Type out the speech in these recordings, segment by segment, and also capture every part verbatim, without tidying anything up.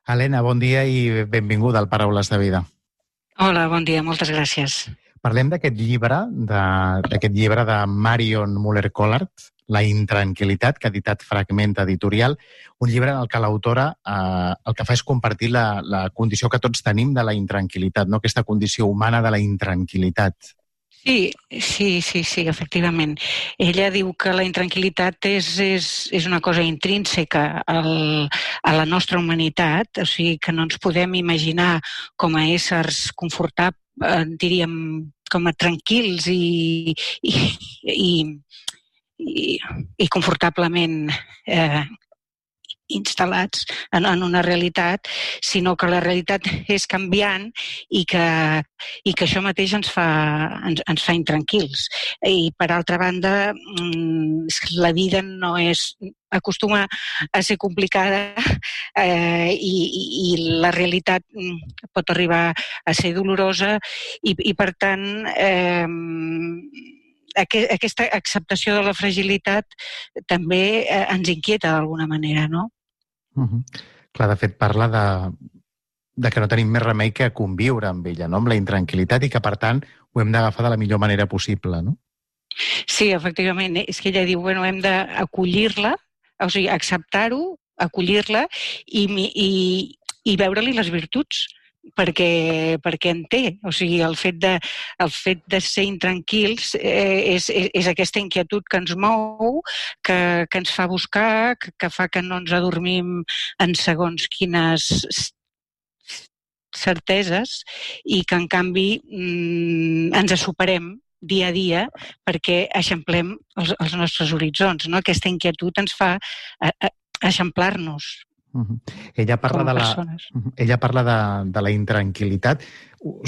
Helena, bon dia i benvinguda al Paraules de Vida. Hola, bon dia, moltes gràcies. Parlem d'aquest llibre, d'aquest llibre de Marion Muller-Collard, La intranquil·litat, que ha editat Fragment Editorial, un llibre en el que l'autora eh, el que fa és compartir la, la condició que tots tenim de la intranquil·litat, no? Aquesta condició humana de la intranquil·litat. Sí, sí, sí, sí, efectivament. Ella diu que la intranquil·litat és, és, és una cosa intrínseca al, a la nostra humanitat, o sigui que no ens podem imaginar com a éssers confortables, eh, diríem, com a tranquils i, i, i, i, i confortablement eh, instal·lats en, en una realitat, sinó que la realitat és canviant i que, i que això mateix ens fa, ens, ens fa intranquils. I, per altra banda, la vida no és, acostuma a ser complicada eh, i, i la realitat pot arribar a ser dolorosa i, i per tant, eh, aquesta acceptació de la fragilitat també ens inquieta d'alguna manera, no? Uh-huh. Clar, de fet, parla de, de que no tenim més remei que conviure amb ella, no? Amb la intranquil·litat, i que, per tant, ho hem d'agafar de la millor manera possible, no? Sí, efectivament. És que ella diu, bueno, hem d'acollir-la, o sigui, acceptar-ho, acollir-la i, i, i veure-li les virtuts, perquè, perquè en té. O sigui, el fet de, el fet de ser intranquils eh, és, és, és aquesta inquietud que ens mou, que, que ens fa buscar, que, que fa que no ens adormim en segons quines certeses i que, en canvi, mm, ens superem dia a dia perquè eixamplem els, els nostres horitzons, no? Aquesta inquietud ens fa a, a, eixamplar-nos. Uh-huh. Ella parla, de la, uh-huh. Ella parla de, de la intranquil·litat.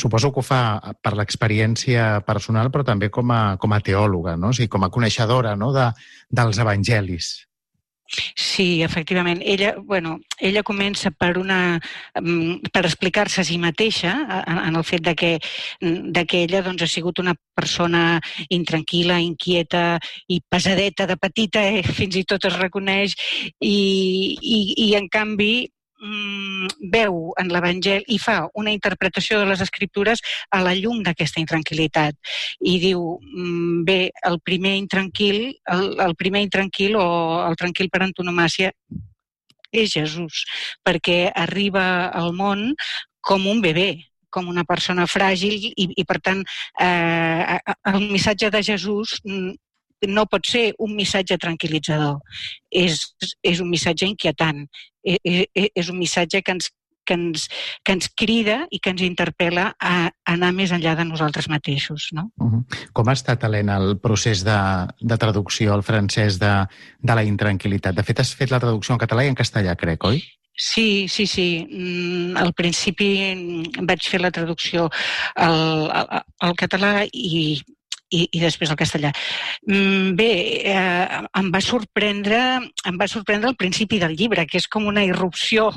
Suposo que ho fa per l'experiència personal, però també com a, com a teòloga, no? O sigui, com a coneixedora, no? de, dels evangelis. Sí, efectivament. Ella, bueno, ella comença per una per explicar-se a si mateixa en, en el fet de que, de que ella doncs, ha sigut una persona intranquil·la, inquieta i pesadeta de petita, eh? Fins i tot es reconeix, i, i, i en canvi veu en l'Evangeli i fa una interpretació de les Escriptures a la llum d'aquesta intranquil·litat. I diu, bé, el primer intranquil, el, el primer intranquil o el tranquil per antonomàsia és Jesús, perquè arriba al món com un bebè, com una persona fràgil i, i per tant, eh, el missatge de Jesús no pot ser un missatge tranquil·litzador, és, és un missatge inquietant, és, és un missatge que ens, que, ens, que ens crida i que ens interpel·la a anar més enllà de nosaltres mateixos. No? Uh-huh. Com ha estat, Helena, el procés de, de traducció al francès de, de la intranquil·litat? De fet, has fet la traducció en català i en castellà, crec, oi? Sí, sí, sí. Al principi vaig fer la traducció al, al, al català i I, i després el castellà. Bé, eh, em va sorprendre, em va sorprendre el principi del llibre, que és com una irrupció,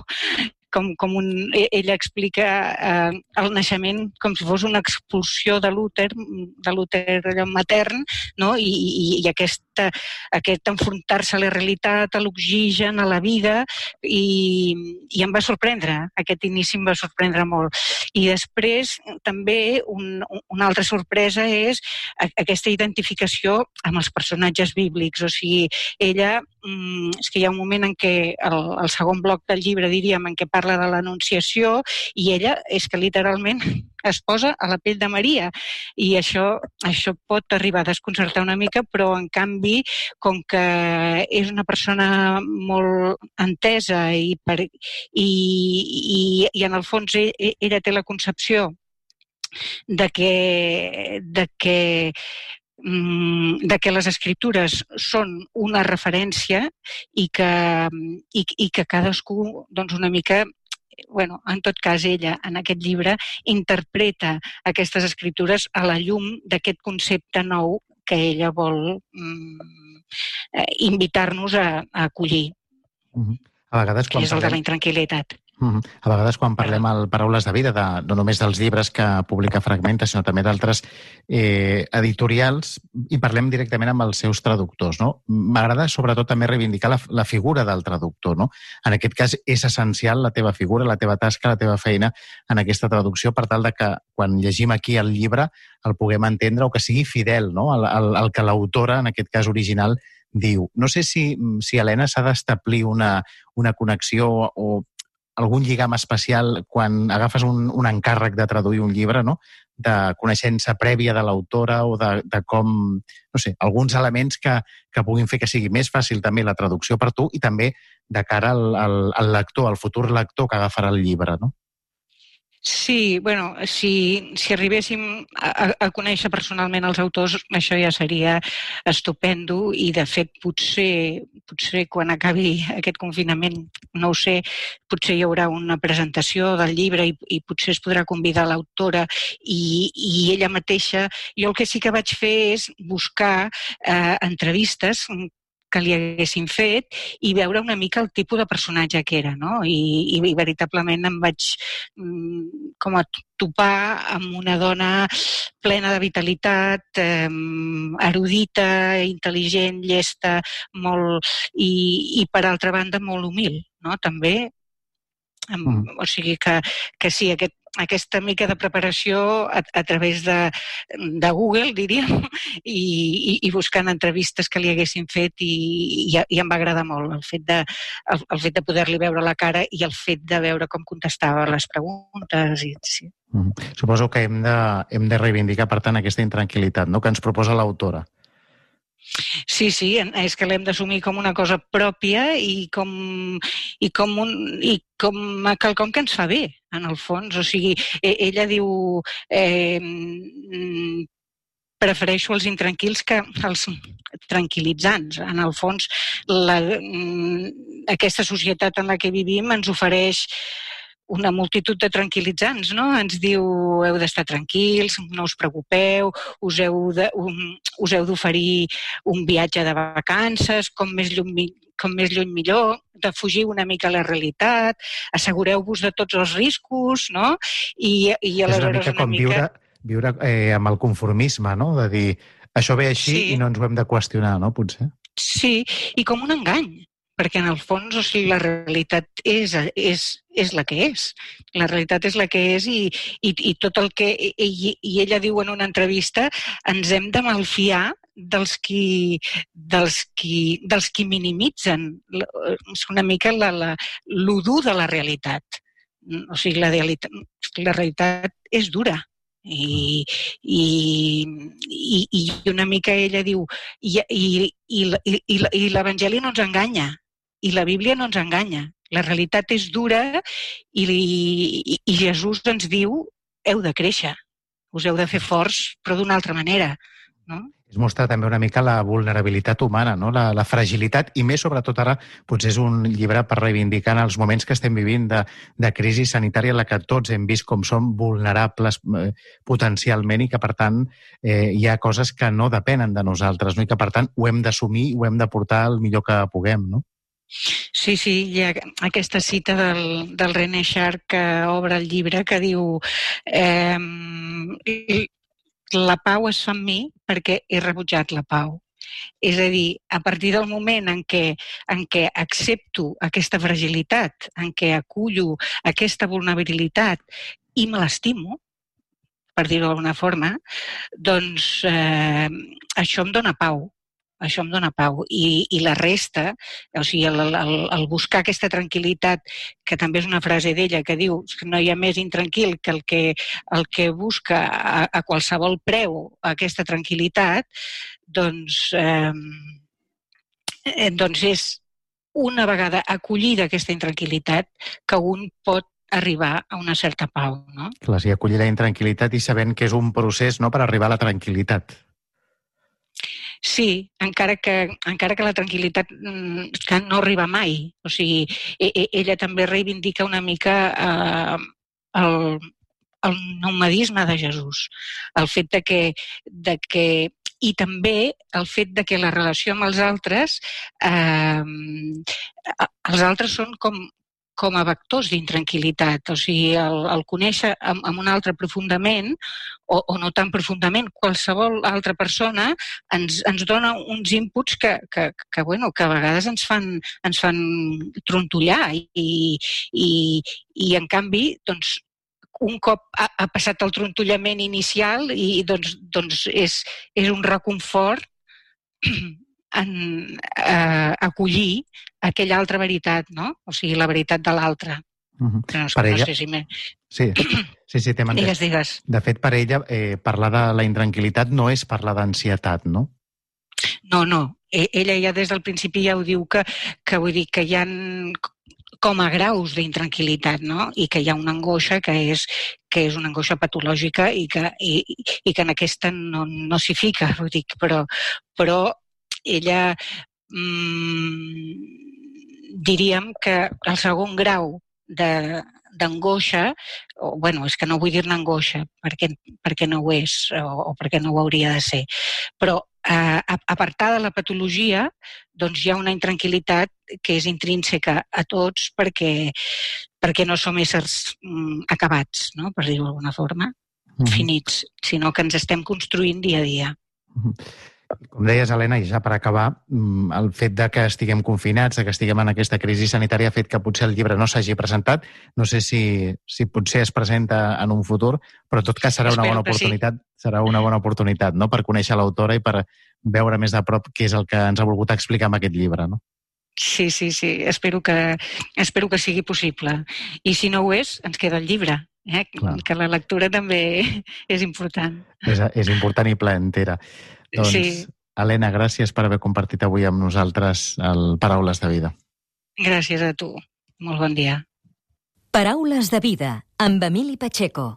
com, com un, ella explica eh, el naixement com si fos una expulsió de l'úter, de l'úter matern, no? I, i, i aquesta, aquest enfrontar-se a la realitat, a l'oxigen, a la vida, i, i em va sorprendre, aquest inici em va sorprendre molt. I després també un, una altra sorpresa és aquesta identificació amb els personatges bíblics, o sigui, ella, és que hi ha un moment en què, el, el segon bloc del llibre, diríem, en què parla de l'Anunciació, i ella és que literalment es posa a la pell de Maria, i això, això pot arribar a desconcertar una mica, però en canvi, com que és una persona molt entesa i, per, i, i, i en el fons ella té la concepció de que, de que de que les escriptures són una referència i que, i, i que cadascú, doncs una mica, bueno, en tot cas ella, en aquest llibre, interpreta aquestes escriptures a la llum d'aquest concepte nou que ella vol mm, invitar-nos a, a acollir. Uh-huh. A vegades, quan que és el parlem... de la intranquil·litat. Mm-hmm. A vegades quan parlem al Paraules de Vida, de, no només dels llibres que publica Fragmenta, sinó també d'altres eh, editorials, i parlem directament amb els seus traductors, no? M'agrada sobretot també reivindicar la, la figura del traductor, no? En aquest cas és essencial la teva figura, la teva tasca, la teva feina en aquesta traducció per tal de que quan llegim aquí el llibre el puguem entendre o que sigui fidel, no? al, al, al que l'autora, en aquest cas original, diu. No sé si, si Helena, s'ha d'establir una, una connexió o algun lligam especial quan agafes un, un encàrrec de traduir un llibre, no? De coneixença prèvia de l'autora o de, de com, no sé, alguns elements que, que puguin fer que sigui més fàcil també la traducció per tu i també de cara al, al, al lector, al futur lector que agafarà el llibre, no? Sí, bueno, si, si arribéssim a, a conèixer personalment els autors, això ja seria estupendo i, de fet, potser, potser quan acabi aquest confinament, no ho sé, potser hi haurà una presentació del llibre i, i potser es podrà convidar l'autora i, i ella mateixa. Jo el que sí que vaig fer és buscar eh, entrevistes que li haguessin fet i veure una mica el tipus de personatge que era, no? I, i, i veritablement em vaig mm, com a topar amb una dona plena de vitalitat, eh, erudita, intel·ligent, llesta, molt, i, i per altra banda molt humil, no? També. Mm. O sigui que, que sí, aquest, aquesta mica de preparació a, a través de, de Google, diríem, i, i, i buscant entrevistes que li haguessin fet i, i, i em va agradar molt el fet de, el, el fet de poder-li veure la cara i el fet de veure com contestava les preguntes. I, sí. Mm. Suposo que hem de, hem de reivindicar, per tant, aquesta intranquil·litat, no?, que ens proposa l'autora. Sí, sí, és que l'hem d'assumir com una cosa pròpia i com, i com, un, i com quelcom que ens fa bé, en el fons. O sigui, ella diu eh, prefereixo els intranquils que els tranquil·litzants. En el fons, la, aquesta societat en la que vivim ens ofereix una multitud de tranquil·litzants, no? Ens diu, heu d'estar tranquils, no us preocupeu, us heu de, um, us heu d'oferir un viatge de vacances, com més lluny, com més lluny millor, de fugir una mica a la realitat, assegureu-vos de tots els riscos, no? I, i aleshores és una mica com una mica... viure, viure eh, amb el conformisme, no? De dir, això ve així sí. I no ens ho hem de qüestionar, no? Potser. Sí, i com un engany. Perquè en el fons, o sigui, la realitat és, és, és la que és. La realitat és la que és i, i, i tot el que... I, i ella diu en una entrevista, ens hem de malfiar dels qui, dels qui, dels qui minimitzen una mica la, la, l'udur de la realitat. O sigui, la, la realitat és dura. I, i, i, i una mica ella diu i, i, i, i, i l'Evangeli no ens enganya i la Bíblia no ens enganya, la realitat és dura i, i, i Jesús ens diu heu de créixer, us heu de fer forts però d'una altra manera, no? Es mostra també una mica la vulnerabilitat humana, no? la, la fragilitat, i més sobretot ara potser és un llibre per reivindicar en els moments que estem vivint de, de crisi sanitària en la que tots hem vist com som vulnerables eh, potencialment i que per tant eh, hi ha coses que no depenen de nosaltres, no? I que per tant ho hem d'assumir, ho hem de portar el millor que puguem, no? Sí, sí, hi ha aquesta cita del, del René Char que obre el llibre que diu eh, la pau es fa en mi perquè he rebutjat la pau. És a dir, a partir del moment en què, en què accepto aquesta fragilitat, en què acullo aquesta vulnerabilitat i me l'estimo, per dir-ho d'alguna forma, doncs eh, això em dona pau. Això em dona pau. I, i la resta, o sigui, el, el, el buscar aquesta tranquil·litat, que també és una frase d'ella que diu que no hi ha més intranquil que el que, el que busca a, a qualsevol preu aquesta tranquil·litat, doncs, eh, doncs és una vegada acollida aquesta intranquil·litat que un pot arribar a una certa pau, no? Clar, sí, acollir la intranquil·litat i sabent que és un procés, no?, per arribar a la tranquil·litat. Sí, encara que, encara que la tranquil·litat que no arriba mai. O sigui, ella també reivindica una mica eh, el, el nomadisme de Jesús. El fet de que, de que i també el fet de que la relació amb els altres, eh, els altres són com, com a vectors d'intranquil·litat. O sigui, el, el conèixer amb, amb un altre profundament, o, o no tan profundament, qualsevol altra persona ens, ens dona uns inputs que, que, que, bueno, que a vegades ens fan, ens fan trontollar i, i, i en canvi, doncs, un cop ha, ha passat el trontollament inicial i doncs, doncs és, és un reconfort en eh, acollir aquella altra veritat, no? O sigui, la veritat de l'altre. Uh-huh. No, Per no ella... sé si me... Sí, sí, sí, t'hem entès. Digues, digues. De fet, per ella, eh, parlar de la intranquil·litat no és parlar d'ansietat, no? No, no. Ella ja des del principi ja ho diu que, que vull dir que hi ha com a graus d'intranquil·litat, no? I que hi ha una angoixa que és, que és una angoixa patològica i que, i, i que en aquesta no, no s'hi fica, vull dir, però, però ella mmm, diríem que el segon grau de, d'angoixa, o, bueno, és que no vull dir-ne angoixa perquè, perquè no ho és o, o perquè no ho hauria de ser, però eh, apartada de la patologia, doncs hi ha una intranquil·litat que és intrínseca a tots perquè, perquè no som éssers mm, acabats, no? Per dir-ho d'alguna forma, uh-huh. finits, sinó que ens estem construint dia a dia. Uh-huh. Com deies, Helena, i ja per acabar, el fet de que estiguem confinats, de que estiguem en aquesta crisi sanitària ha fet que potser el llibre no s'hagi presentat. No sé si, si potser es presenta en un futur, però en tot cas serà una bona oportunitat, sí. serà una bona oportunitat, no?, per conèixer l'autora i per veure més de prop què és el que ens ha volgut explicar amb aquest llibre, no? Sí, sí, sí. Espero que, espero que sigui possible. I si no ho és, ens queda el llibre. Eh? Que la lectura també és important. És, és important i placentera. Doncs, sí. Helena, gràcies per haver compartit avui amb nosaltres el Paraules de Vida. Gràcies a tu. Molt bon dia. Paraules de Vida, amb Emili Pacheco.